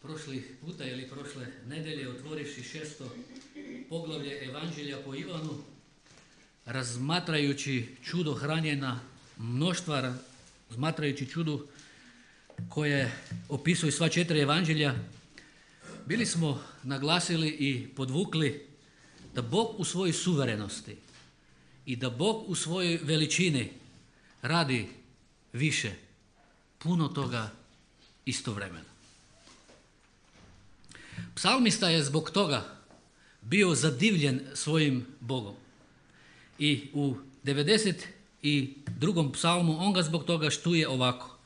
prošli puta ili prošle nedelje otvorivši 6. poglavlje Evanđelja po Ivanu, razmatrajući čudo hranjenja mnoštva, razmatrajući čudo koje opisuju sva 4 evanđelja, bili smo naglasili i podvukli da Bog u svojoj suverenosti i da Bog u svojoj veličini radi više, puno toga istovremeno. Psalmista je zbog toga bio zadivljen svojim Bogom. I u 92. psalmu on ga zbog toga štuje ovako.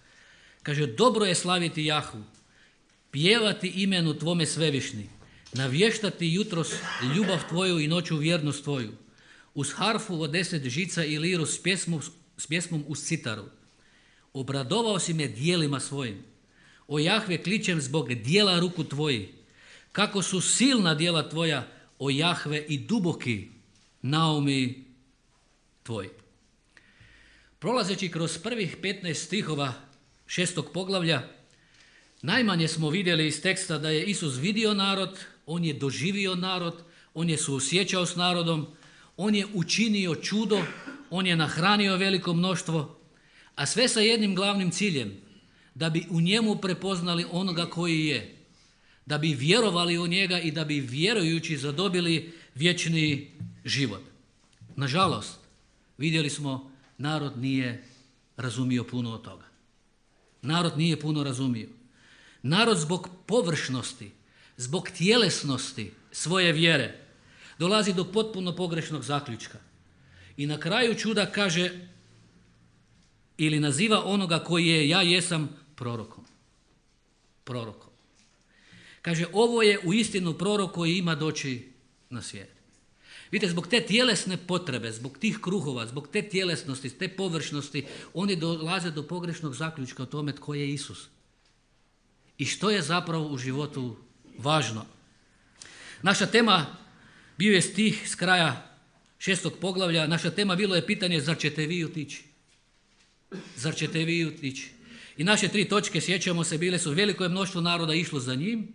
Kaže, dobro je slaviti Jahvu, pjevati imenu Tvome svevišnji, navještati jutros ljubav Tvoju i noću vjernost Tvoju, uz harfu od 10 žica i liru s pjesmom uz citaru. Obradovao si me dijelima svojim. O Jahve kličem zbog dijela ruku Tvojih. Kako su silna dijela Tvoja, o Jahve, i duboki naumi Tvoji. Prolazeći kroz prvih 15 stihova 6. poglavlja, najmanje smo vidjeli iz teksta da je Isus vidio narod, on je doživio narod, on je suosjećao s narodom, on je učinio čudo, on je nahranio veliko mnoštvo, a sve sa jednim glavnim ciljem, da bi u njemu prepoznali onoga koji je, da bi vjerovali u njega i da bi vjerujući zadobili vječni život. Nažalost, vidjeli smo, narod nije razumio puno od toga. Narod nije puno razumio. Narod zbog površnosti, zbog tjelesnosti svoje vjere dolazi do potpuno pogrešnog zaključka. I na kraju čuda kaže ili naziva onoga koji je ja jesam prorokom. Prorokom. Kaže, ovo je uistinu prorok koji ima doći na svijet. Vidite, zbog te tjelesne potrebe, zbog tih kruhova, zbog te tjelesnosti, te površnosti, oni dolaze do pogrešnog zaključka o tome tko je Isus. I što je zapravo u životu važno. Naša tema bio je stih s kraja 6. poglavlja, naša tema bilo je pitanje zar ćete vi otići? Zar ćete vi otići? I naše 3 točke, sjećamo se, bile su veliko je mnoštvo naroda išlo za njim,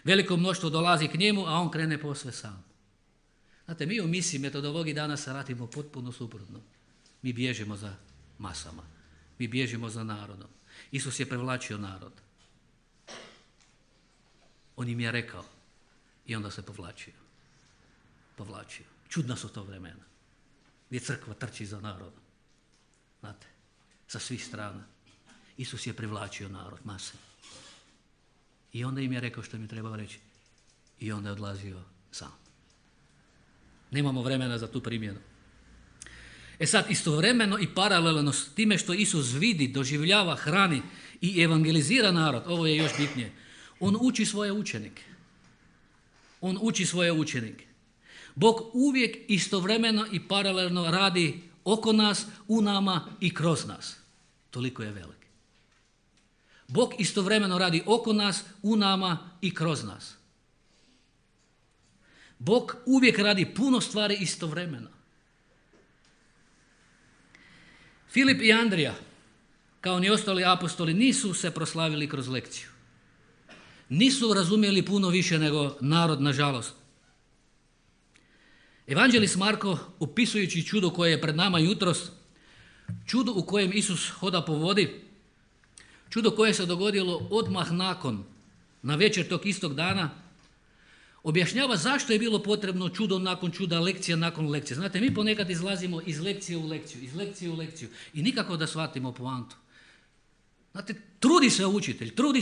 veliko mnoštvo dolazi k njemu, a on krene posve sam. Znate, mi u misiji, metodologiji danas radimo potpuno suprotno. Mi bježimo za masama, mi bježimo za narodom. Isus je prevlačio narod. On im je rekao i onda se povlačio. Čudna su to vremena gdje crkva trči za narodom. Znate, sa svih strana. Isus je privlačio narod, mase. I onda im je rekao što mi trebao reći. I onda je odlazio sam. Nemamo vremena za tu primjenu. E sad, istovremeno i paralelno s time što Isus vidi, doživljava, hrani i evangelizira narod, ovo je još bitnije, on uči svoje učenike. Bog uvijek istovremeno i paralelno radi oko nas, u nama i kroz nas. Toliko je velik. Bog istovremeno radi oko nas, u nama i kroz nas. Bog uvijek radi puno stvari istovremeno. Filip i Andrija, kao ni ostali apostoli, nisu se proslavili kroz lekciju. Nisu razumjeli puno više nego narod, nažalost. Evanđelist Marko, opisujući čudo koje je pred nama jutros, čudo u kojem Isus hoda po vodi, čudo koje se dogodilo odmah na večer tog istog dana, objašnjava zašto je bilo potrebno čudo nakon čuda, lekcija nakon lekcije. Znate, mi ponekad izlazimo iz lekcije u lekciju i nikako da shvatimo poantu. Znate, trudi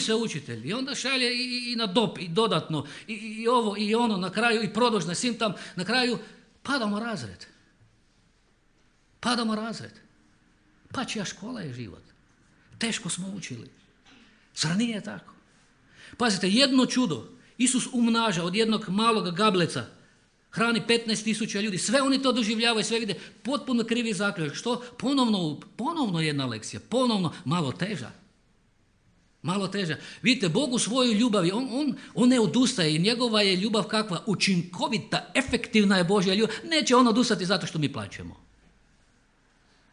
se učitelj i onda šalje i na dop i dodatno i ovo i ono, na kraju i produžne simptom, na kraju padamo razred. Pačija škola je život. Teško smo učili. Zar nije tako? Pazite, jedno čudo. Isus umnaža od jednog malog gableca, hrani 15.000 ljudi. Sve oni to doživljavaju, sve vide. Potpuno krivi zaključak. Što? Ponovno jedna lekcija. Ponovno malo teža. Vidite, Bog u svojoj ljubavi, on ne odustaje i njegova je ljubav kakva? Učinkovita, efektivna je Božja ljubav. Neće on odustati zato što mi plaćemo.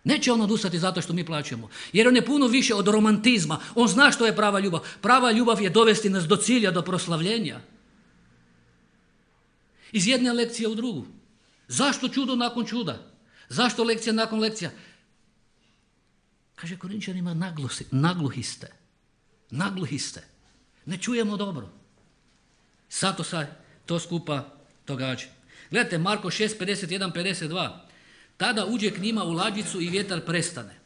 Neće on odustati zato što mi plaćamo. Jer on je puno više od romantizma. On zna što je prava ljubav. Prava ljubav je dovesti nas do cilja, do proslavljenja. Iz jedne lekcije u drugu. Zašto čudo nakon čuda? Zašto lekcija nakon lekcija? Kaže Korinčanima, nagluhi ste. Nagluhi ste. Ne čujemo dobro. Zato se to skupa događa. Gledajte, Marko 6, 51, 52. Tada uđe k njima u lađicu i vjetar prestane.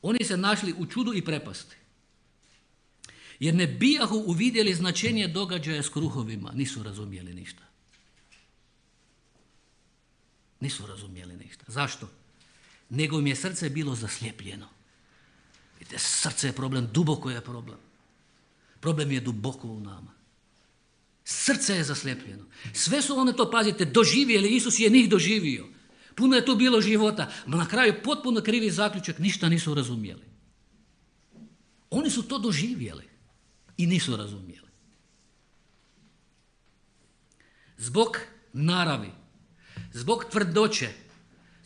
Oni se našli u čudu i prepasti. Jer ne bijahu uvidjeli značenje događaja s kruhovima. Nisu razumjeli ništa. Nisu razumjeli ništa. Zašto? Nego im je srce bilo zaslijepljeno. Vidite, srce je problem, duboko je problem. Problem je duboko u nama. Srce je zaslijepljeno. Sve su one to, pazite, doživjeli. Isus je njih doživio. Puno je tu bilo života. Na kraju potpuno krivi zaključak, ništa nisu razumjeli. Oni su to doživjeli i nisu razumjeli. Zbog naravi, zbog tvrdoće,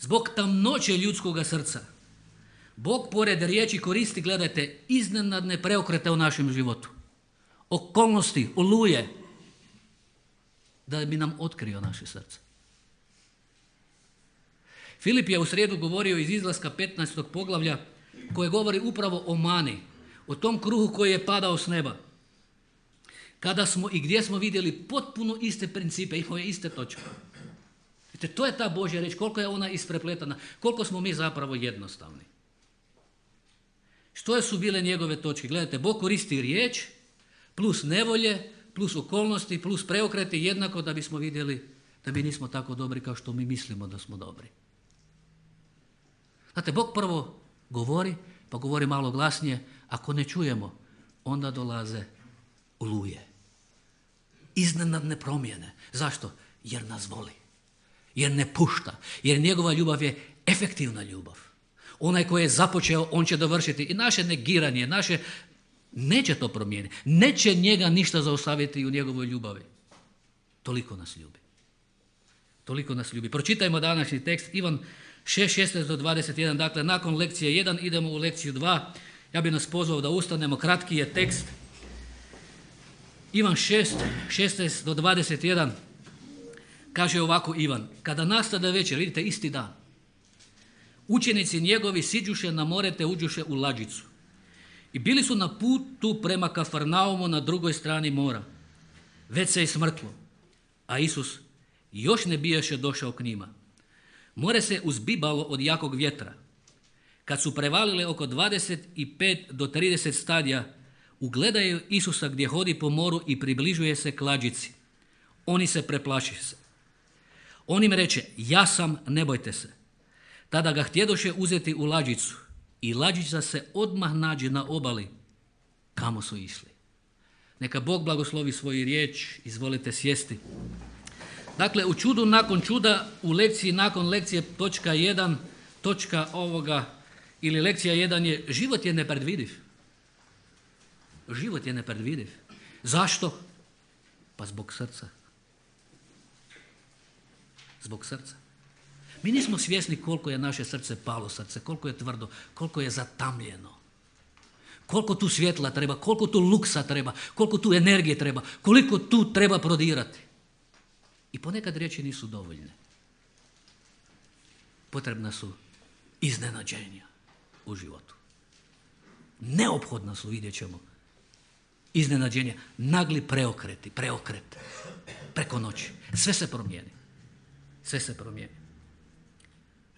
zbog tamnoće ljudskoga srca, Bog pored riječi koristi, gledajte, iznenadne preokrete u našem životu. Okolnosti, oluje, da bi nam otkrio naše srce. Filip je u srijedu govorio iz Izlaska 15. poglavlja koje govori upravo o mani, o tom kruhu koji je padao s neba. Kada smo i gdje smo vidjeli potpuno iste principe, imaju iste točke. Vidite, to je ta Božja riječ, koliko je ona isprepletana, koliko smo mi zapravo jednostavni. Što su bile njegove točke? Gledajte, Bog koristi riječ, plus nevolje, plus okolnosti, plus preokrete jednako da bismo vidjeli da mi nismo tako dobri kao što mi mislimo da smo dobri. Znate, Bog prvo govori, pa govori malo glasnije. Ako ne čujemo, onda dolaze oluje. Iznenadne promjene. Zašto? Jer nas voli. Jer ne pušta. Jer njegova ljubav je efektivna ljubav. Onaj koji je započeo, on će dovršiti. I naše negiranje, neće to promijeniti. Neće njega ništa zaustaviti u njegovoj ljubavi. Toliko nas ljubi. Toliko nas ljubi. Pročitajmo današnji tekst, Ivan 6, 16-21. Dakle, nakon lekcije 1 idemo u lekciju 2. Ja bih nas pozvao da ustanemo, kratki je tekst. Ivan 6, 16-21. Kaže ovako Ivan, kada nastade večer, vidite, isti dan, učenici njegovi siđuše na more te uđuše u lađicu. I bili su na putu prema Kafarnaumu na drugoj strani mora. Već se je smrklo, a Isus još ne bijaše došao k njima. More se uzbibalo od jakog vjetra. Kad su prevalile oko 25 do 30 stadija, ugledaju Isusa gdje hodi po moru i približuje se k lađici. Oni se preplašiše se. On im reče, ja sam, ne bojte se. Tada ga htjedoše uzeti u lađicu i lađica se odmah nađe na obali kamo su išli. Neka Bog blagoslovi svoju riječ, izvolite sjesti. Dakle, u čudu nakon čuda, u lekciji nakon lekcije točka 1, točka ovoga, ili lekcija 1 je, život je nepredvidiv. Život je nepredvidiv. Zašto? Pa zbog srca. Zbog srca. Mi nismo svjesni koliko je naše srce palo srce, koliko je tvrdo, koliko je zatamljeno. Koliko tu svjetla treba, koliko tu luksa treba, koliko tu energije treba, koliko tu treba prodirati. I ponekad riječi nisu dovoljne. Potrebna su iznenađenja u životu. Neophodna su, vidjet ćemo, iznenađenja, nagli preokret, preko noći. Sve se promijeni. Sve se promijeni.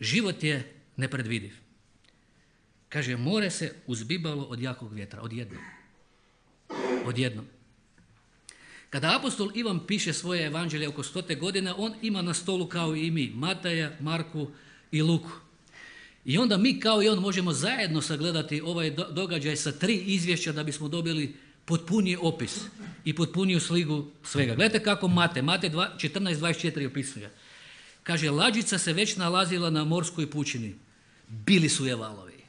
Život je nepredvidiv. Kaže, more se uzbibalo od jakog vjetra, odjednom. Kada apostol Ivan piše svoje evanđelje oko 100. godine, on ima na stolu kao i mi, Mateja, Marku i Luku. I onda mi kao i on možemo zajedno sagledati ovaj događaj sa 3 izvješća da bismo dobili potpuniji opis i potpuniju sliku svega. Gledajte kako Mate 14.24 opisuje. Kaže, lađica se već nalazila na morskoj pučini. Bili su je valovi.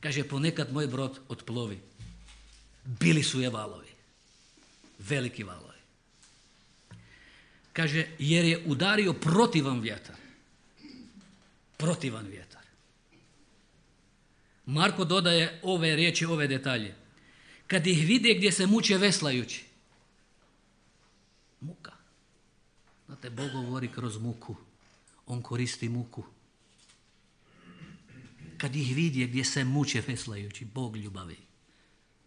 Kaže, ponekad moj brod otplovi. Bili su je valovi. Veliki valovi. Kaže, jer je udario protivan vjetar. Protivan vjetar. Marko dodaje ove riječi, ove detalje. Kad ih vide gdje se muče veslajući. Muka. Znate, Bog govori kroz muku. On koristi muku. Kad ih vidi gdje se muče veslajući, Bog ljubavi.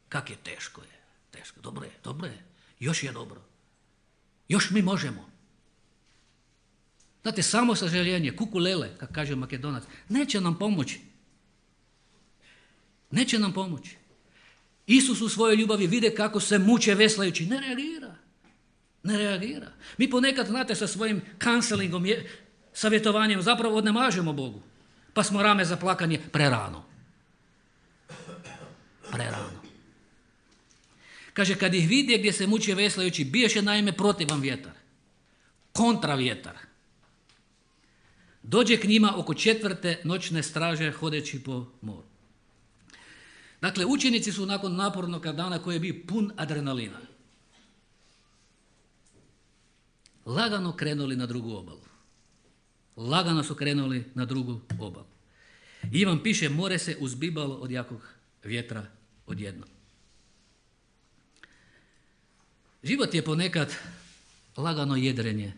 Kak je teško je. Teško. Dobro je. Još je dobro. Još mi možemo. Znate, samo sažaljenje, kukulele, kako kaže Makedonac, neće nam pomoći. Neće nam pomoći. Isus u svojoj ljubavi vide kako se muče veslajući. Ne reagira. Mi ponekad, znate, sa svojim kancelingom, savjetovanjem zapravo odnemažemo Bogu. Pa smo rame za plakanje prerano. Kaže, kad ih vidi gdje se muče veslajući, biješe naime protivan vjetar. Kontra vjetar. Dođe k njima oko 4. noćne straže hodeći po moru. Dakle, učenici su nakon napornog dana koji je bio pun adrenalina lagano krenuli na drugu obalu. Lagano su krenuli na drugu obalu. Ivan piše, more se uzbibalo od jakog vjetra odjednom. Život je ponekad lagano jedrenje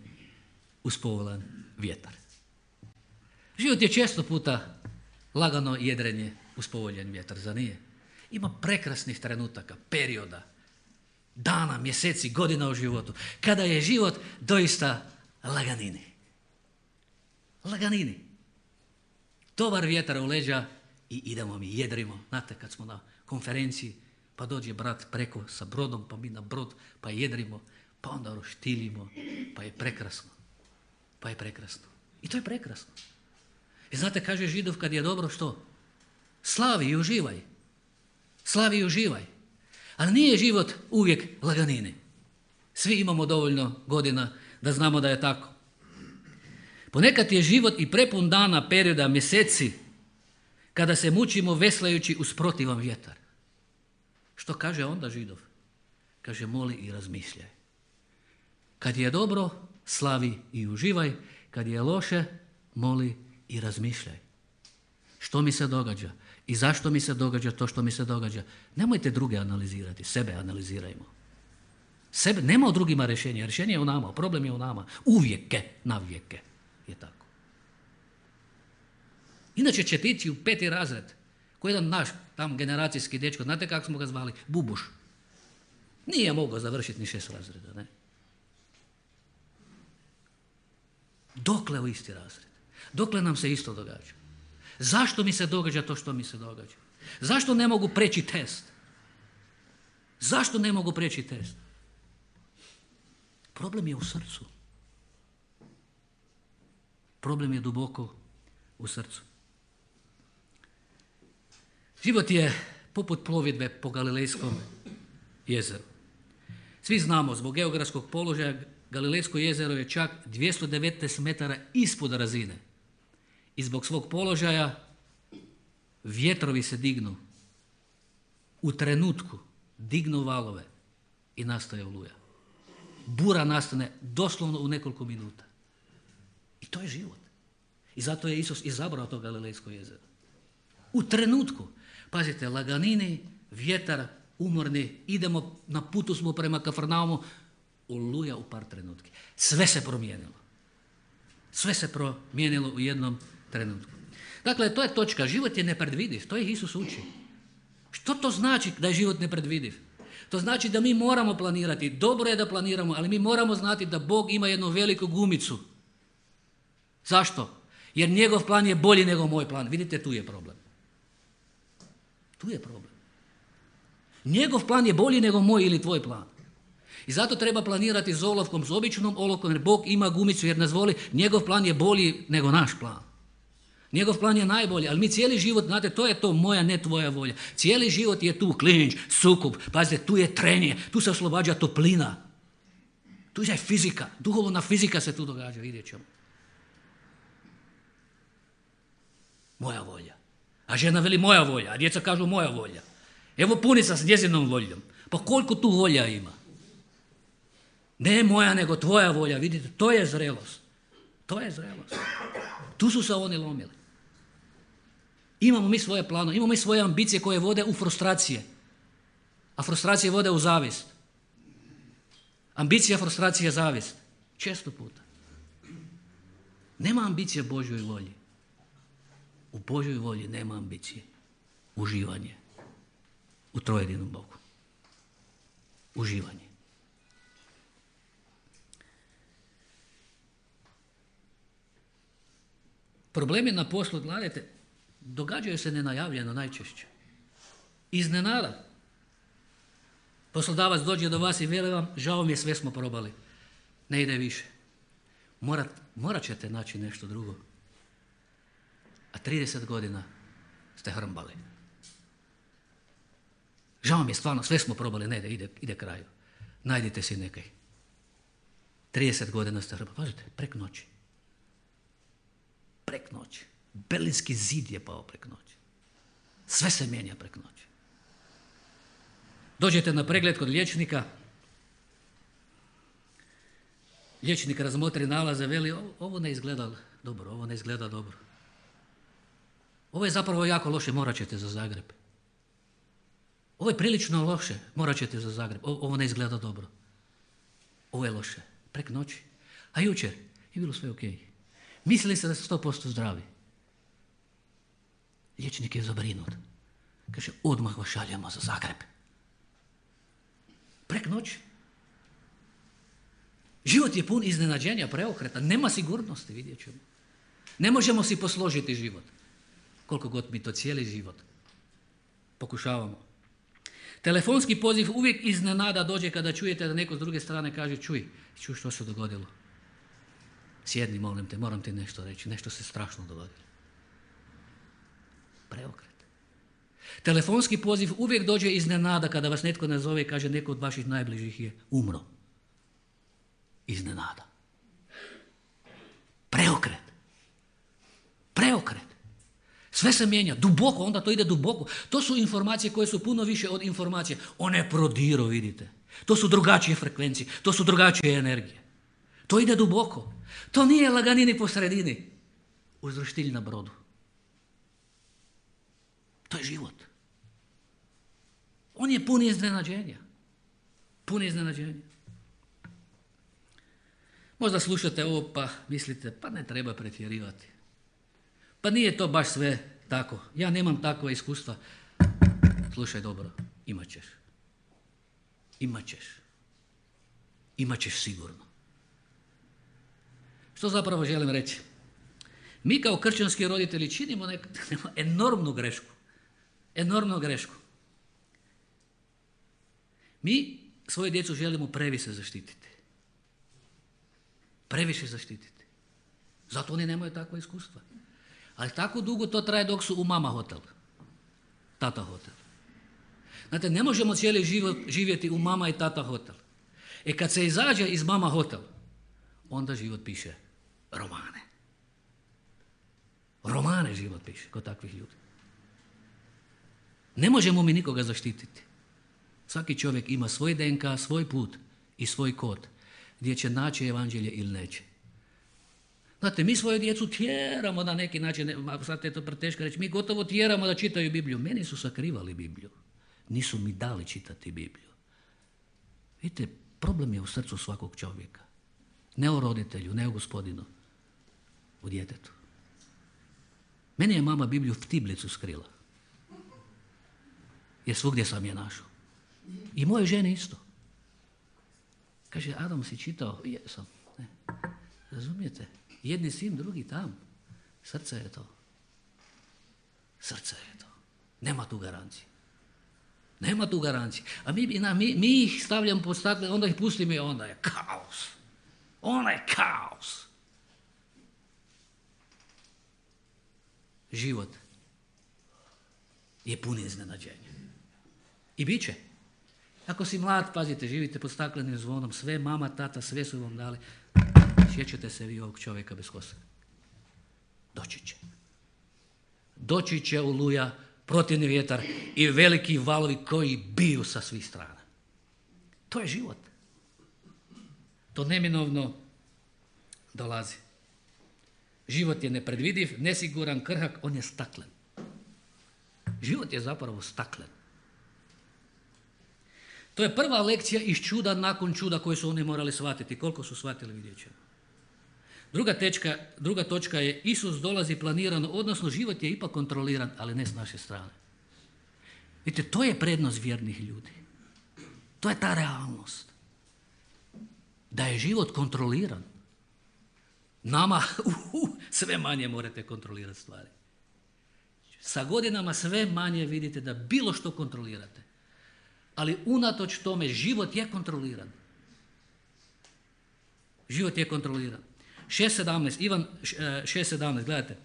uz povolan vjetar. Život je često puta lagano jedrenje uz povoljan vjetar, zar nije? Ima prekrasnih trenutaka, perioda, dana, mjeseci, godina u životu, kada je život doista laganini. Dobar vjetar u leđa i idemo mi, jedrimo. Znate, kad smo na konferenciji, pa dođe brat preko sa brodom, pa mi na brod, pa jedrimo, pa onda roštilimo, pa je prekrasno. I to je prekrasno. I znate, kaže Židov, kad je dobro, što? Slavi i uživaj. Ali nije život uvijek laganine. Svi imamo dovoljno godina da znamo da je tako. Ponekad je život i prepun dana, perioda, mjeseci, kada se mučimo veslajući uz protivan vjetar. Što kaže onda Židov? Kaže, moli i razmišljaj. Kad je dobro, slavi i uživaj. Kad je loše, moli i razmišljaj. Što mi se događa i zašto mi se događa to što mi se događa. Nemojte druge analizirati, sebe analizirajmo. Sebe, nema u drugima rješenja, rješenje je u nama, problem je u nama. Uvijeke, navijeke je tako. Inače ćete ići u 5. razred, koji je jedan naš tam generacijski dečko, znate kako smo ga zvali? Bubuš. Nije mogao završiti ni 6 razreda, ne? Dokle u isti razred? Dokle nam se isto događa? Zašto mi se događa to što mi se događa? Zašto ne mogu preći test? Problem je u srcu. Problem je duboko u srcu. Život je poput plovidbe po Galilejskom jezeru. Svi znamo, zbog geografskog položaja, Galilejsko jezero je čak 219 metara ispod razine. I zbog svog položaja vjetrovi se dignu. U trenutku dignu valove i nastaje oluja. Bura nastane doslovno u nekoliko minuta. I to je život. I zato je Isus izabrao to Galilejsko jezero. U trenutku, pazite, laganini, vjetar, umorni, idemo, na putu smo prema Kafarnaumu, oluja u par trenutki. Sve se promijenilo u jednom trenutku. Dakle, to je točka. Život je nepredvidiv. To je Isus uči. Što to znači da je život nepredvidiv? To znači da mi moramo planirati. Dobro je da planiramo, ali mi moramo znati da Bog ima jednu veliku gumicu. Zašto? Jer njegov plan je bolji nego moj plan. Vidite, tu je problem. Njegov plan je bolji nego moj ili tvoj plan. I zato treba planirati z olovkom, s običnom olovkom, jer Bog ima gumicu, jer nas voli. Njegov plan je bolji nego naš plan. Njegov plan je najbolji, ali mi cijeli život, znate, to je to moja, ne tvoja volja. Cijeli život je tu klinč, sukob, pazite, tu je trenje, tu se oslobađa toplina. Tu je fizika, duhovna fizika se tu događa, vidjet ćemo. Moja volja. A žena veli moja volja, a djeca kažu moja volja. Evo punica s njezinom voljom. Pa koliko tu volja ima? Ne moja, nego tvoja volja, vidite, to je zrelost. Tu su se oni lomili. Imamo mi svoje planove, imamo mi svoje ambicije koje vode u frustracije. A frustracije vode u zavist. Ambicija, frustracija, zavist. Često puta. Nema ambicije u Božjoj volji. U Božjoj volji nema ambicije. Uživanje. U trojedinom Bogu. Uživanje. Problemi na poslu, gledajte, događaju se nenajavljeno najčešće. Iznenada. Poslodavac dođe do vas i veli vam, žao mi je, sve smo probali. Ne ide više. Morat ćete naći nešto drugo. A 30 godina ste hrmbali. Žao mi je, stvarno, sve smo probali, ne ide kraju. Najdite si nekaj. 30 godina ste hrmbali. Pazite, prek noći. Prek noći. Berlinski zid je pao prek noći. Sve se mijenja prek noći. Dođete na pregled kod liječnika. Liječnik razmotri nalaze, veli, ovo ne izgleda dobro, ovo ne izgleda dobro. Ovo je zapravo jako loše, morat ćete za Zagreb. Ovo je prilično loše, morat ćete za Zagreb. Ovo ne izgleda dobro. Ovo je loše. Prek noći. A jučer je bilo sve okej. Mislili ste da ste 100% zdravi. Liječnik je zabrinut. Kaže, odmah vas šaljemo za Zagreb. Prek noći. Život je pun iznenađenja, preokreta. Nema sigurnosti, vidjet ćemo. Ne možemo si posložiti život. Koliko god mi to cijeli život pokušavamo. Telefonski poziv uvijek iznenada dođe kada čujete da neko s druge strane kaže, čuj što se dogodilo. Sjedni, molim te, moram ti nešto reći, nešto se strašno dogodilo. Preokret. Telefonski poziv uvijek dođe iznenada kada vas netko nazove i kaže neko od vaših najbližih je umro. Iznenada. Preokret. Preokret. Sve se mijenja, duboko, onda to ide duboko. To su informacije koje su puno više od informacije. One prodiru, vidite. To su drugačije frekvencije, to su drugačije energije. To ide duboko. To nije laganini po sredini. Uz roštilj na brodu. To je život. On je pun iznenađenja. Pun iznenađenja. Možda slušate ovo pa mislite, pa ne treba pretjerivati. Pa nije to baš sve tako. Ja nemam takva iskustva. Slušaj dobro, imat ćeš. Imat ćeš. Imat ćeš sigurno. Što zapravo želim reći? Mi kao kršćanski roditelji činimo enormnu grešku. Enormnu grešku. Mi svoju djecu želimo previše zaštititi. Previše zaštititi. Zato oni nemaju takva iskustva. Ali tako dugo to traje dok su u mama hotel. Tata hotel. Znate, ne možemo cijeli život živjeti u mama i tata hotel. Kad se izađe iz mama hotel, onda život piše romane. Romane život piše kod takvih ljudi. Ne možemo mi nikoga zaštititi. Svaki čovjek ima svoj DNK, svoj put i svoj kod gdje će naći evanđelje ili neće. Znate, mi svoju djecu tjeramo na neki način, sad je to preteško reći, mi gotovo tjeramo da čitaju Bibliju. Meni su sakrivali Bibliju. Nisu mi dali čitati Bibliju. Vidite, problem je u srcu svakog čovjeka. Ne u roditelju, ne u gospodinu. U djetetu. Meni je mama Bibliju v tiblicu skrila. Jer svugdje sam je našao. I moje žene isto. Kaže, Adam, si čitao? Jesam. Ne. Razumijete? Jedni sin, drugi tam. Srce je to. Srce je to. Nema tu garancije. Nema tu garancije. A mi ih stavljamo pod stakle, onda ih pustimo i onda je kaos. Ona je kaos. Život je pun iznenađenja. I bit će. Ako si mlad, pazite, živite pod staklenim zvonom, sve mama, tata, sve su vam dali. Sjećate se vi ovog čovjeka bez kose. Doći će. Doći će oluja, protivni vjetar i veliki valovi koji biju sa svih strana. To je život. To neminovno dolazi. Život je nepredvidiv, nesiguran, krhak, on je staklen. Život je zapravo staklen. To je prva lekcija iz čuda nakon čuda koje su oni morali shvatiti. Koliko su shvatili, vidjet ćemo. Druga točka je Isus dolazi planirano, odnosno život je ipak kontroliran, ali ne s naše strane. Vidite, to je prednost vjernih ljudi. To je ta realnost. Da je život kontroliran. Nama sve manje morate kontrolirati stvari. Sa godinama sve manje vidite da bilo što kontrolirate. Ali unatoč tome život je kontroliran. Život je kontroliran. 6.17, Ivan 6.17, gledajte.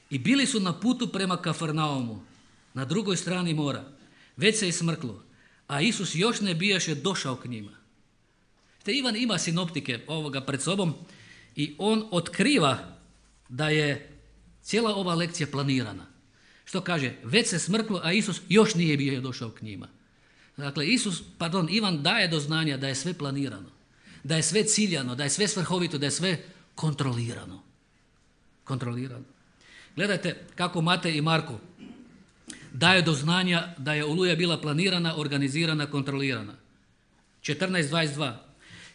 I bili su na putu prema Kafarnaumu, na drugoj strani mora. Već se je smrklo, a Isus još ne bijaše došao k njima. Te Ivan ima sinoptike ovoga pred sobom i on otkriva da je cijela ova lekcija planirana. Što kaže? Već se smrklo, a Isus još nije bio došao k njima. Dakle, Ivan daje do znanja da je sve planirano, da je sve ciljano, da je sve svrhovito, da je sve kontrolirano. Gledajte kako Matej i Marko daju do znanja da je Oluja bila planirana, organizirana, kontrolirana. 14.22.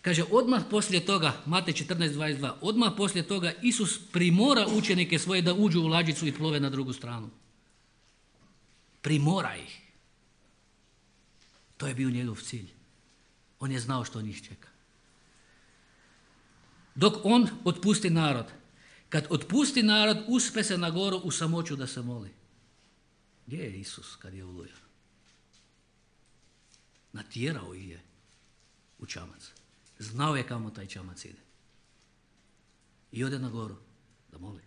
Kaže, odmah poslije toga, Matej 14.22, odmah poslije toga Isus primora učenike svoje da uđu u lađicu i plove na drugu stranu. Primora ih. To je bio njegov cilj. On je znao što njih čeka. Dok on otpusti narod. Kad otpusti narod, uspe se na goru u samoću da se moli. Gdje je Isus kad je Oluja? Natjerao ih je u čamac. Znao je kamo taj čamac ide. I ode na goru da moli.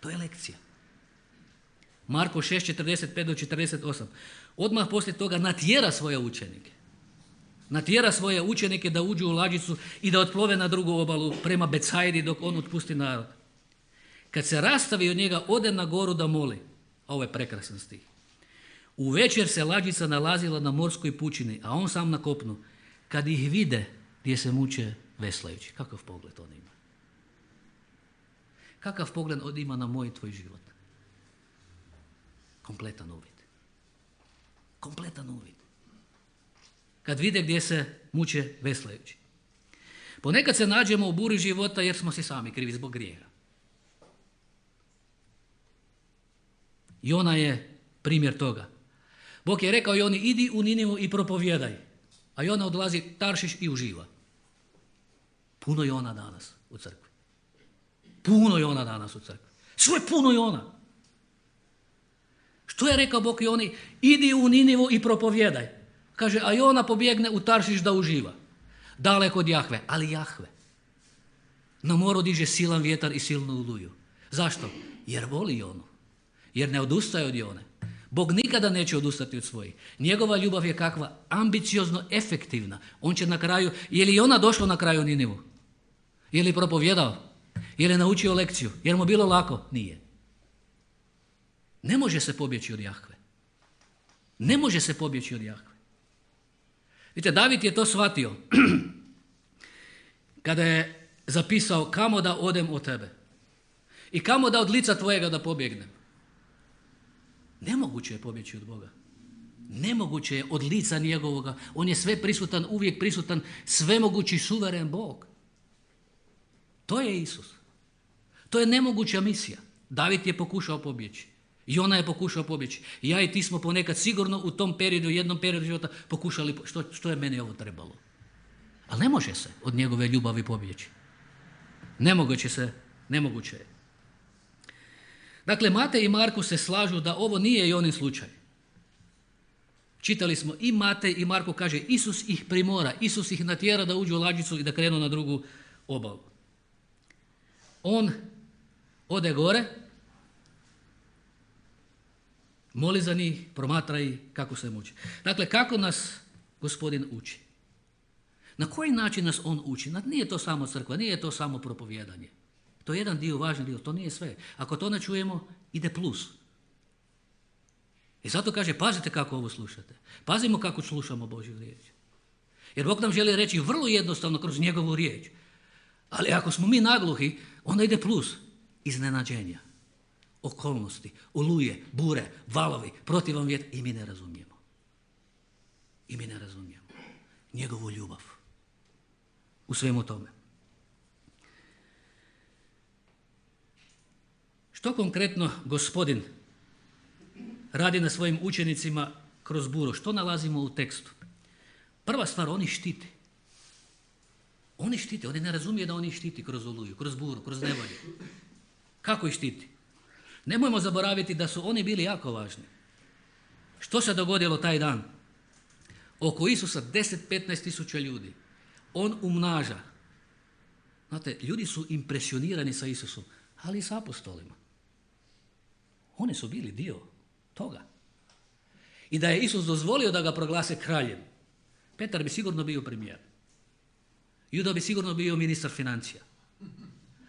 To je lekcija. Marko 6.45 do 48. Odmah poslije toga natjera svoje učenike. Natjera svoje učenike da uđu u lađicu i da otplove na drugu obalu prema Becajdi dok on otpusti narod. Kad se rastavi od njega, ode na goru da moli. Ovo je prekrasan stih. U večer se lađica nalazila na morskoj pučini, a on sam na kopnu. Kad ih vide gdje se muče veslajući. Kakav pogled on ima? Kakav pogled on ima na moj i tvoj život? Kompletan uvid. Kompletan uvid. Kad vide gdje se muče veslajući. Ponekad se nađemo u buri života jer smo si sami krivi zbog grijeha. Jona je primjer toga. Bog je rekao Joni, idi u Ninivu i propovijedaj. A Jona odlazi Taršiš i uživa. Puno Jona danas u crkvi. Puno Jona danas u crkvi. Sve je puno Jona. Što je rekao Bog Joni? Idi u Ninivu i propovijedaj. Kaže, a Jona pobjegne u Taršiš da uživa. Daleko od Jahve, ali Jahve. Na moru diže silan vjetar i silnu oluju. Zašto? Jer voli Jonu. Jer ne odustaje od Jone. Bog nikada neće odustati od svojih. Njegova ljubav je kakva? Ambiciozno efektivna. On će na kraju, je li ona došla na kraju Ninivu? Je li propovjedao? Je li naučio lekciju? Jer mu bilo lako? Nije. Ne može se pobjeći od Jahve. Ne može se pobjeći od Jahve. Vidite, David je to shvatio kada je zapisao kamo da odem od tebe i kamo da od lica tvojega da pobjegnem. Nemoguće je pobjeći od Boga. Nemoguće je od lica njegovoga. On je sve prisutan, uvijek prisutan, svemogući suveren Bog. To je Isus. To je nemoguća misija. David je pokušao pobjeći. Jona je pokušao pobjeći. Ja i ti smo ponekad sigurno u tom periodu, jednom periodu života pokušali, što je meni ovo trebalo. Ali ne može se od njegove ljubavi pobjeći. Nemoguće je. Dakle, Matej i Marko se slažu da ovo nije Jonin slučaj. Čitali smo i Matej i Marko kaže Isus ih primora, Isus ih natjera da uđu u lađicu i da krenu na drugu obalu. On ode gore, moli za njih, promatra ih kako se muči. Dakle, kako nas Gospodin uči? Na koji način nas On uči? Nije to samo crkva, nije to samo propovijedanje. To je jedan dio, važan dio, to nije sve. Ako to ne čujemo, ide plus. I zato kaže, pazite kako ovo slušate. Pazimo kako slušamo Božju riječ. Jer Bog nam želi reći vrlo jednostavno kroz njegovu riječ. Ali ako smo mi nagluhi, onda ide plus. Iznenađenja. okolnosti, oluje, bure, valovi, protivan vjetar i mi ne razumijemo. I mi ne razumijemo njegovu ljubav u svemu tome. Što konkretno Gospodin radi na svojim učenicima kroz buru? Što nalazimo u tekstu? Prva stvar, oni štiti. Oni štite, oni ne razumiju da oni štiti kroz oluju, kroz buru, kroz nevolju. Kako ih štiti? Nemojmo zaboraviti da su oni bili jako važni. Što se dogodilo taj dan? Oko Isusa 10-15 tisuća ljudi. On umnaža. Znate, ljudi su impresionirani sa Isusom, ali i sa apostolima. Oni su bili dio toga. I da je Isus dozvolio da ga proglase kraljem, Petar bi sigurno bio premijer. Juda bi sigurno bio ministar financija.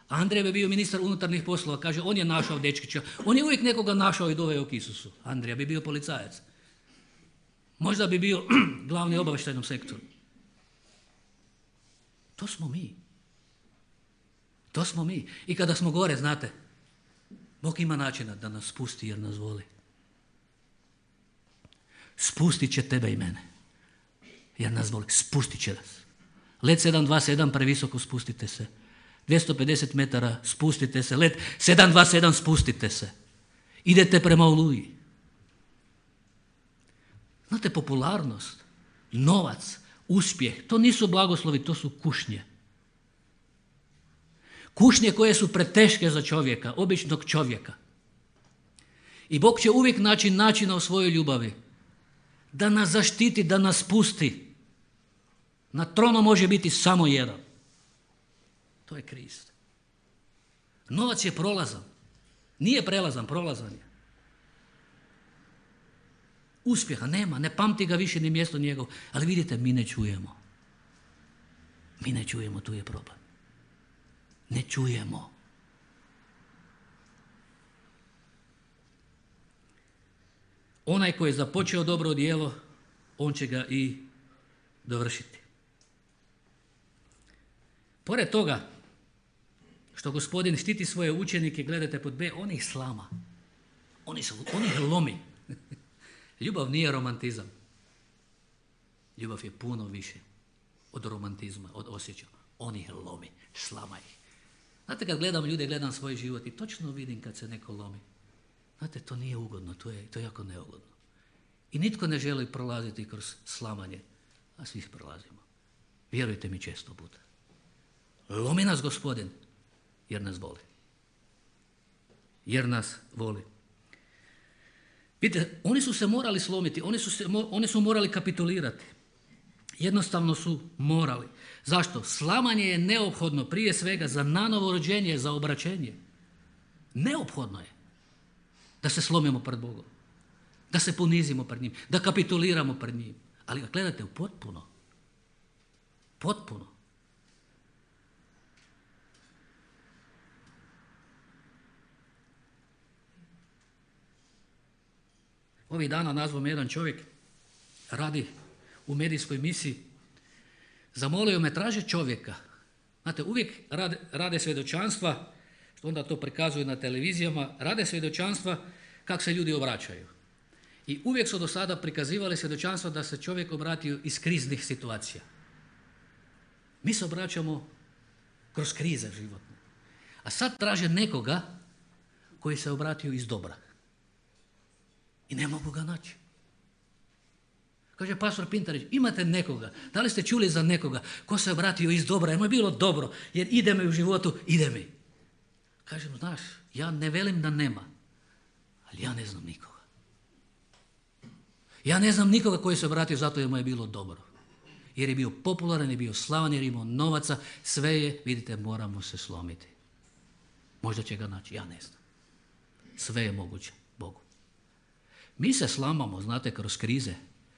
Andrej bi bio ministar unutarnjih poslova. Kaže, on je našao dečkića. On je uvijek nekoga našao i doveo k Isusu. Andrija bi bio policajac. Možda bi bio glavni u obavještajnom sektoru. To smo mi. To smo mi. I kada smo gore, znate, Bog ima načina da nas spusti jer nas voli. Spustit će tebe i mene. Jer nas voli. Spustit će nas. Let 727 previsoko, spustite se. 250 metara, spustite se. Let 727, spustite se. Idete prema Oluji. Znate, popularnost, novac, uspjeh, to nisu blagoslovi, to su kušnje. Kušnje koje su preteške za čovjeka, običnog čovjeka. I Bog će uvijek naći načina u svojoj ljubavi da nas zaštiti, da nas spusti. Na tronu može biti samo jedan. To je Krist. Novac je prolazan. Nije prelazan, prolazan je. Uspjeha nema, ne pamti ga više ni mjesto njegov. Ali vidite, mi ne čujemo. Mi ne čujemo, tu je problem. Ne čujemo. Onaj koji je započeo dobro djelo, on će ga i dovršiti. Pored toga što Gospodin štiti svoje učenike, gledajte pod B, on ih slama. On ih lomi. Ljubav nije romantizam. Ljubav je puno više od romantizma, od osjećaja. On ih lomi, slama ih. Znate, kad gledam ljude, gledam svoj život i točno vidim kad se neko lomi. Znate, to nije ugodno, to je jako neugodno. I nitko ne želi prolaziti kroz slamanje, a svi prolazimo. Vjerujte mi, često puta. Lomi nas Gospodin, jer nas voli. Jer nas voli. Vidite, oni su se morali slomiti, oni su morali kapitulirati. Jednostavno su morali. Zašto? Slamanje je neophodno prije svega za nanovo rođenje, za obraćenje. Neophodno je da se slomimo pred Bogom, da se ponizimo pred njim, da kapituliramo pred njim. Ali gledajte, potpuno. Potpuno. Ovih dana nazvom jedan čovjek, radi u medijskoj misiji, zamolio me, traže čovjeka. Znate, uvijek rade svjedočanstva, što onda to prikazuju na televizijama, rade svjedočanstva kako se ljudi obraćaju. I uvijek su do sada prikazivali svjedočanstva da se čovjek obratio iz kriznih situacija. Mi se obraćamo kroz krize životne. A sad traže nekoga koji se obratio iz dobra. I ne mogu ga naći. Kaže pastor Pintarić, imate nekoga, da li ste čuli za nekoga ko se obratio iz dobra, jer mu je bilo dobro, jer ide mi u životu, ide mi. Kažem, znaš, ja ne velim da nema, ali ja ne znam nikoga. Ja ne znam nikoga koji se obratio zato jer mu je bilo dobro. Jer je bio popularan, je bio slavan, jer je imao novaca, sve je, vidite, moramo se slomiti. Možda će ga naći, ja ne znam. Sve je moguće Bogu. Mi se slamamo, znate, kroz krize,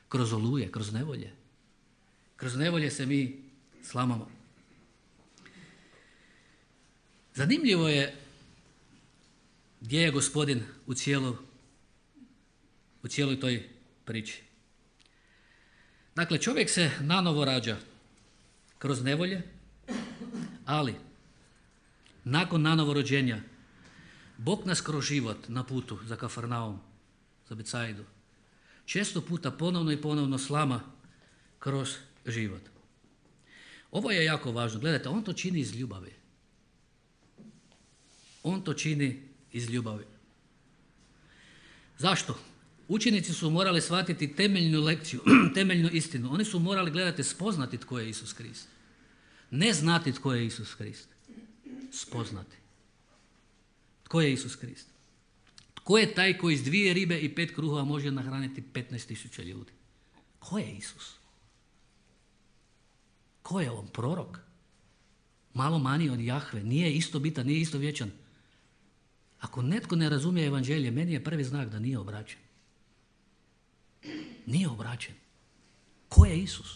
kroz oluje, kroz nevolje. Kroz nevolje se mi slamamo. Zanimljivo je gdje je Gospodin u cijeloj toj priči. Dakle, čovjek se nanovo rađa kroz nevolje, ali nakon nanovo rođenja Bog nas kroz život na putu za Kafarnaum, za Becajdu, često puta ponovno i ponovno slama kroz život. Ovo je jako važno. Gledajte, on to čini iz ljubavi. On to čini iz ljubavi. Zašto? Učenici su morali shvatiti temeljnu lekciju, temeljnu istinu. Oni su morali, gledajte, spoznati tko je Isus Krist. Ne znati tko je Isus Krist. Spoznati. Tko je Isus Krist? Tko je taj koji iz 2 ribe i 5 kruhova može nahraniti 15.000 ljudi? Ko je Isus? Ko je on? Prorok? Malo manji od Jahve. Nije isto bitan, nije isto vječan. Ako netko ne razumije evanđelje, meni je prvi znak da nije obraćen. Nije obraćen. Ko je Isus?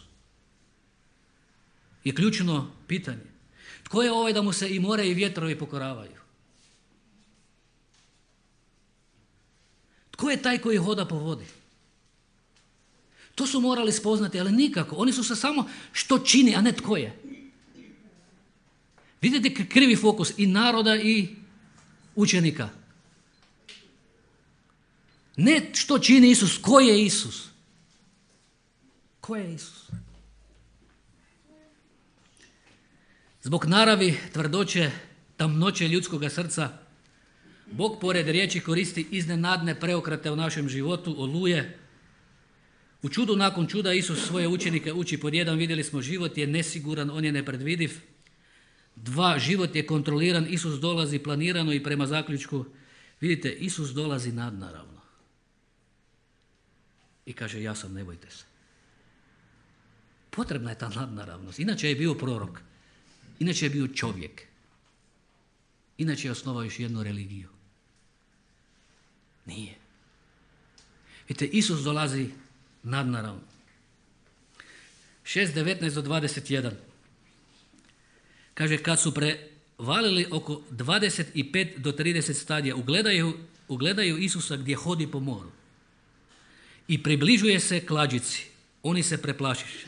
Je ključno pitanje. Tko je ovaj da mu se i more i vjetrovi pokoravaju? Tko je taj koji hoda po vodi? To su morali spoznati, ali nikako. Oni su se samo što čini, a ne tko je. Vidite krivi fokus i naroda i učenika. Ne što čini Isus, ko je Isus? Ko je Isus? Zbog naravi, tvrdoće, tamnoće ljudskoga srca, Bog pored riječi koristi iznenadne preokrate u našem životu, oluje. U čudu nakon čuda Isus svoje učenike uči pod 1, vidjeli smo, život je nesiguran, on je nepredvidiv. 2, život je kontroliran, Isus dolazi planirano i prema zaključku. Vidite, Isus dolazi nadnaravno. I kaže, ja sam, ne bojte se. Potrebna je ta nadnaravnost. Inače je bio prorok. Inače je bio čovjek. Inače je osnovao još jednu religiju. Nije. Vidite, Isus dolazi nadnaravno. 6:19 do 21. Kaže, kad su prevalili oko 25 do 30 stadija, ugledaju Isusa gdje hodi po moru. I približuje se k lađici. Oni se preplašiše.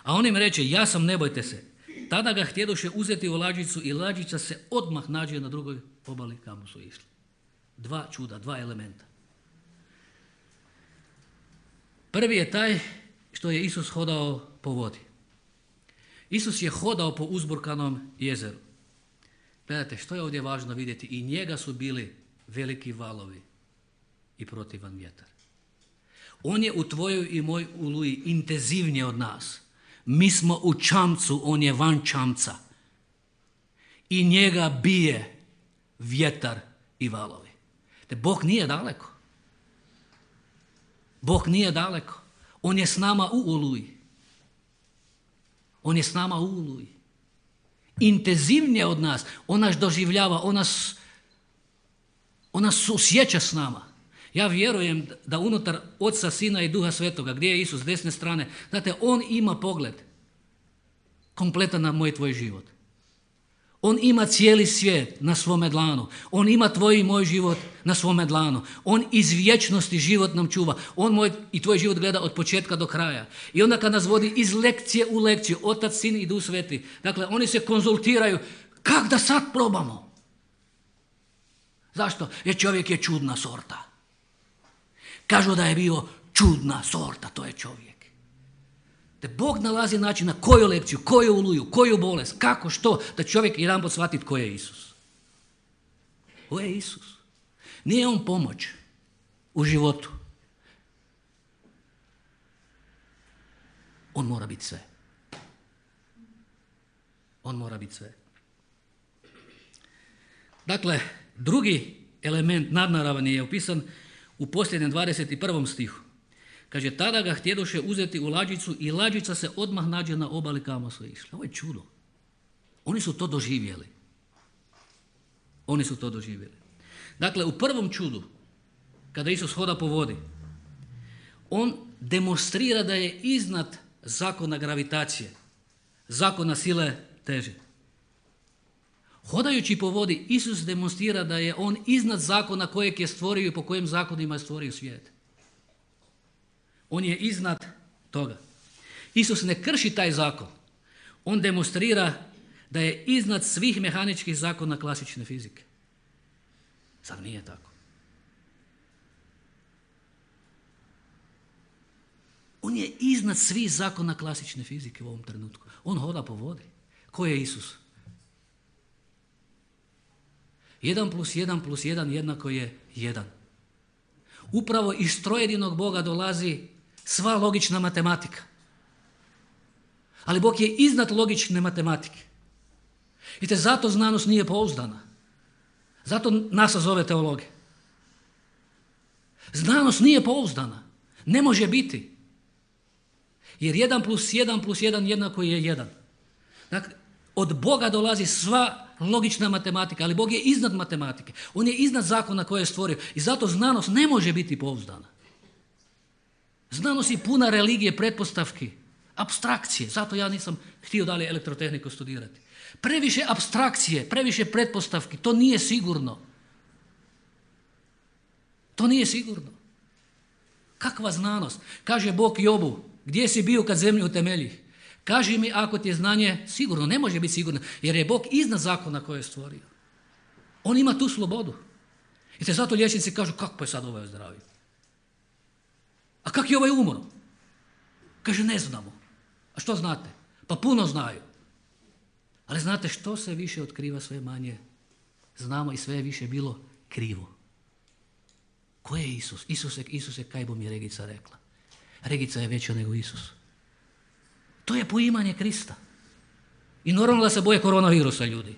A on im reče, ja sam, ne bojte se. Tada ga htjedoše uzeti u lađicu i lađica se odmah nađe na drugoj obali kamo su išli. 2 čuda, 2 elementa. Prvi je taj što je Isus hodao po vodi. Isus je hodao po uzburkanom jezeru. Gledajte, što je ovdje važno vidjeti? I njega su bili veliki valovi i protivan vjetar. On je u tvojoj i moj oluji intenzivnije od nas. Mi smo u čamcu, on je van čamca. I njega bije vjetar i valovi. Te Bog nije daleko. Bog nije daleko. On je s nama u oluji. On je s nama u oluji. Intenzivnije od nas. On nas doživljava, on nas susjeća s nama. Ja vjerujem da unutar Oca, Sina i Duha Svetoga, gdje je Isus s desne strane, znate, on ima pogled kompletan na moj tvoj život. On ima cijeli svijet na svome dlanu. On ima tvoj i moj život na svome dlanu. On iz vječnosti život nam čuva. On moj i tvoj život gleda od početka do kraja. I onda kad nas vodi iz lekcije u lekciju, Otac, Sin i Duh Sveti, dakle, oni se konzultiraju, kak da sad probamo? Zašto? Jer čovjek je čudna sorta. Kažu da je bio čudna sorta, to je čovjek. Da Bog nalazi način na koju lekciju, koju oluju, koju bolest, kako, što, da čovjek jedanput shvati tko je Isus. Ovo je Isus. Nije on pomoć u životu. On mora biti sve. On mora biti sve. Dakle, drugi element nadnaravni je opisan u posljednjem 21. stihu. Kaže, tada ga htjedoše uzeti u lađicu i lađica se odmah nađe na obali kamo su išli. Ovo je čudo. Oni su to doživjeli. Oni su to doživjeli. Dakle, u prvom čudu, kada Isus hoda po vodi, on demonstrira da je iznad zakona gravitacije, zakona sile teže. Hodajući po vodi, Isus demonstrira da je on iznad zakona kojeg je stvorio i po kojim zakonima je stvorio svijet. On je iznad toga. Isus ne krši taj zakon. On demonstrira da je iznad svih mehaničkih zakona klasične fizike. Zar nije tako? On je iznad svih zakona klasične fizike u ovom trenutku. On hoda po vodi. Ko je Isus? 1 plus 1 plus 1 jednako je 1. Upravo iz trojedinog Boga dolazi sva logična matematika. Ali Bog je iznad logične matematike. I te zato znanost nije pouzdana. Zato NASA zove teologe. Znanost nije pouzdana. Ne može biti. Jer 1 plus 1 plus 1 jednako je 1. Dakle, od Boga dolazi sva logična matematika, ali Bog je iznad matematike. On je iznad zakona koje je stvorio. I zato znanost ne može biti pouzdana. Znanost je puna religije, pretpostavki, apstrakcije. Zato ja nisam htio dalje elektrotehniku studirati. Previše apstrakcije, previše pretpostavki, to nije sigurno. To nije sigurno. Kakva znanost? Kaže Bog Jobu, gdje si bio kad zemlju utemelji? Kaži mi ako ti je znanje sigurno. Ne može biti sigurno, jer je Bog iznad zakona koje je stvorio. On ima tu slobodu. I te zato liječnici kažu, kako je sad ovaj ozdravio? A kak je ovaj umro? Kaže, ne znamo. A što znate? Pa puno znaju. Ali znate, što se više otkriva, sve manje znamo i sve je više bilo krivo. Ko je Isus? Isus je kaj bo mi Regica rekla. Regica je veća nego Isus. To je poimanje Krista. I normalno da se boje koronavirusa ljudi.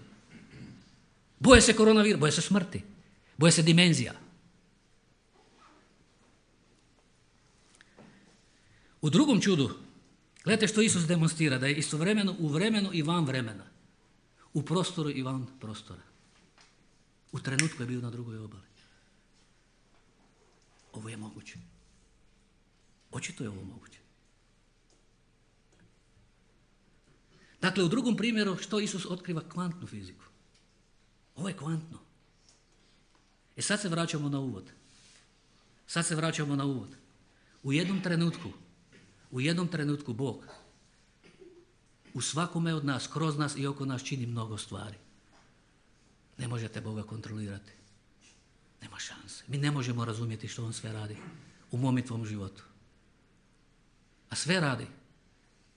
Boje se koronavirusa, boje se smrti, boje se dimenzija. U drugom čudu, gledajte što Isus demonstrira, da je istovremeno u vremenu i van vremena. U prostoru i van prostora. U trenutku je bio na drugoj obali. Ovo je moguće. Očito je ovo moguće. Dakle, u drugom primjeru što Isus otkriva? Kvantnu fiziku. Ovo je kvantno. Sad se vraćamo na uvod. U jednom trenutku Bog u svakome od nas, kroz nas i oko nas čini mnogo stvari. Ne možete Boga kontrolirati. Nema šanse. Mi ne možemo razumjeti što On sve radi u mom i tvom životu. A sve radi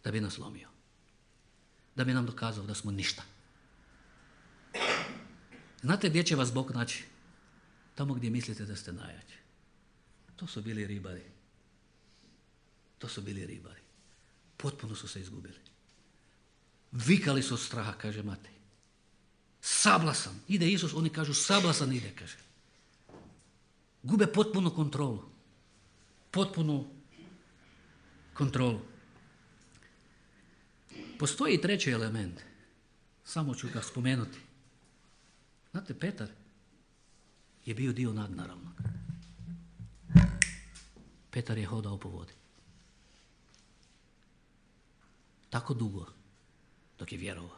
da bi nas slomio. Da bi nam dokazao da smo ništa. Znate gdje će vas Bog naći? Tamo gdje mislite da ste najjači. To su bili ribari. Potpuno su se izgubili. Vikali su od straha, kaže Matej. Sablasan. Ide Isus, oni kažu sablasan ide, kaže. Gube potpunu kontrolu. Postoji i treći element. Samo ću ga spomenuti. Znate, Petar je bio dio nadnaravnog. Petar je hodao po vodi. Tako dugo dok je vjerovao.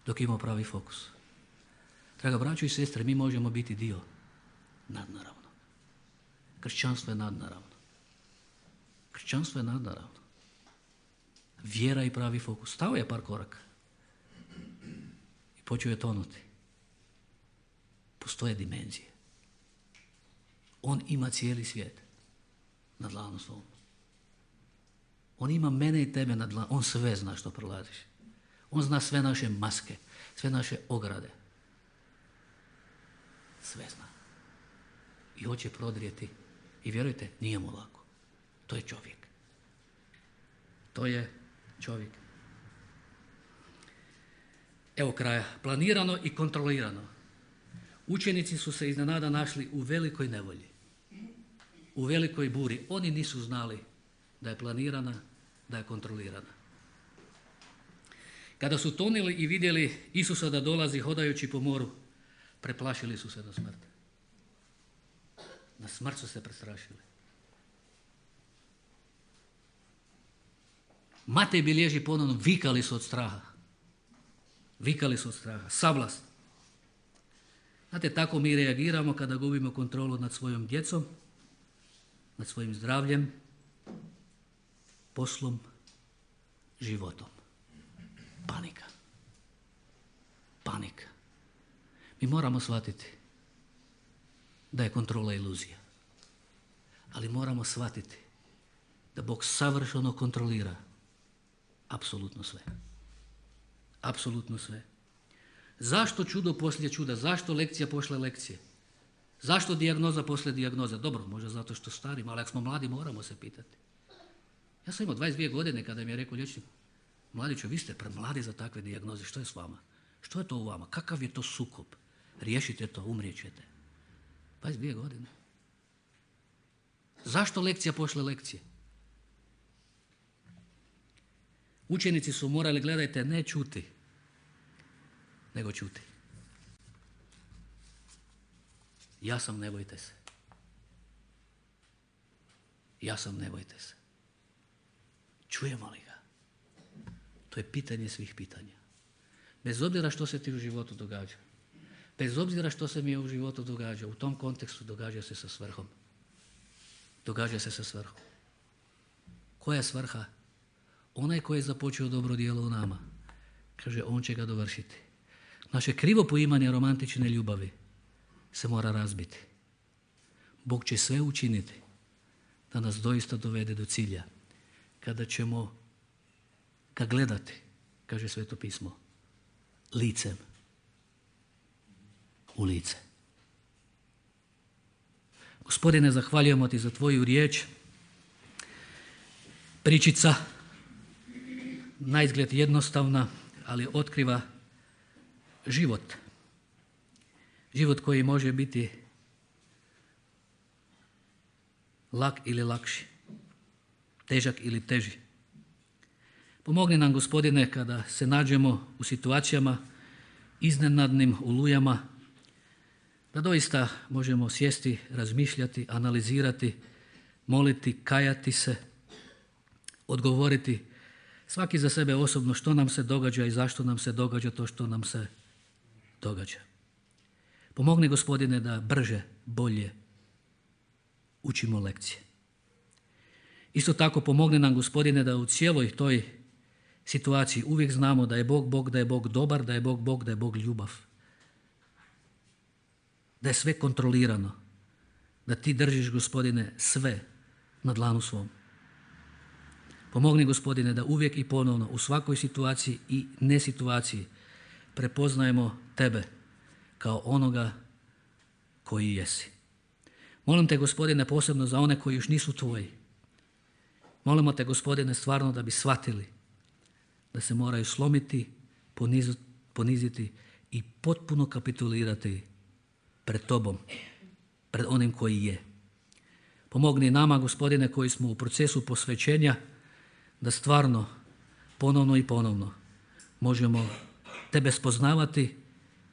Dok je imao pravi fokus. Draga braćo i sestre, mi možemo biti dio nadnaravno. Kršćanstvo je nadnaravno. Vjera i pravi fokus. Stao je par koraka. I počeo je tonuti. Postoje dimenzije. On ima cijeli svijet na dlanu svom. On ima mene i tebe na dlanu. On sve zna što prolaziš. On zna sve naše maske, sve naše ograde. Sve zna. I hoće prodrijeti. I vjerujte, nije mu lako. To je čovjek. Evo kraja. Planirano i kontrolirano. Učenici su se iznenada našli u velikoj nevolji. U velikoj buri. Oni nisu znali da je planirana, da je kontrolirana. Kada su tonili i vidjeli Isusa da dolazi hodajući po moru, preplašili su se do smrti. Na smrt su se prestrašili. Matej bilježi ponovno, vikali su od straha. Sablas. Znate, tako mi reagiramo kada gubimo kontrolu nad svojom djecom, nad svojim zdravljem, poslom, životom. Panika. Mi moramo shvatiti da je kontrola iluzija. Ali moramo shvatiti da Bog savršeno kontrolira apsolutno sve. Apsolutno sve. Zašto čudo poslije čuda? Zašto lekcija pošle lekcije? Zašto dijagnoza poslije dijagnoza? Dobro, možda zato što starim, ali ako smo mladi moramo se pitati. Ja sam imao 22 godine kada mi je rekao liječnik, mladiću, vi ste premladi za takve dijagnoze, što je s vama? Što je to u vama? Kakav je to sukob? Riješite to, umrijet ćete. 22 godine. Zašto lekcija pošle lekcije? Učenici su morali, gledajte, ne čuti, nego čuti. Ja sam, ne bojte se. Ja sam, ne bojte se. Čujemo li ga? To je pitanje svih pitanja. Bez obzira što se ti u životu događa. Bez obzira što se mi u životu događa, u tom kontekstu događa se sa svrhom. Događa se sa svrhom. Koja je svrha? Onaj koji je započeo dobro djelo u nama, kaže, on će ga dovršiti. Naše krivo poimanje romantične ljubavi se mora razbiti. Bog će sve učiniti da nas doista dovede do cilja. Kada ćemo ga gledati, kaže Sveto pismo, licem u lice. Gospodine, zahvaljujemo ti za tvoju riječ. Pričica, naizgled jednostavna, ali otkriva život. Život koji može biti lak ili lakši, težak ili teži. Pomogni nam, Gospodine, kada se nađemo u situacijama iznenadnim olujama, da doista možemo sjesti, razmišljati, analizirati, moliti, kajati se, odgovoriti svaki za sebe osobno što nam se događa i zašto nam se događa to što nam se događa. Pomogni, Gospodine, da brže, bolje učimo lekcije. Isto tako pomogni nam, Gospodine, da u cijeloj toj situaciji uvijek znamo da je Bog Bog, da je Bog dobar, da je Bog Bog, da je Bog ljubav. Da je sve kontrolirano. Da ti držiš, Gospodine, sve na dlanu svom. Pomogni, Gospodine, da uvijek i ponovno u svakoj situaciji i nesituaciji prepoznajemo tebe kao onoga koji jesi. Molim te, Gospodine, posebno za one koji još nisu tvoji. Molimo te, Gospodine, stvarno da bi shvatili da se moraju slomiti, poniziti i potpuno kapitulirati pred tobom, pred onim koji je. Pomogni nama, Gospodine, koji smo u procesu posvećenja, da stvarno ponovno i ponovno možemo tebe spoznavati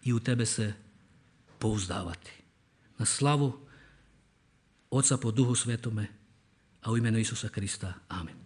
i u tebe se pouzdavati. Na slavu Oca po Duhu Svetome, a u imenu Isusa Krista. Amen.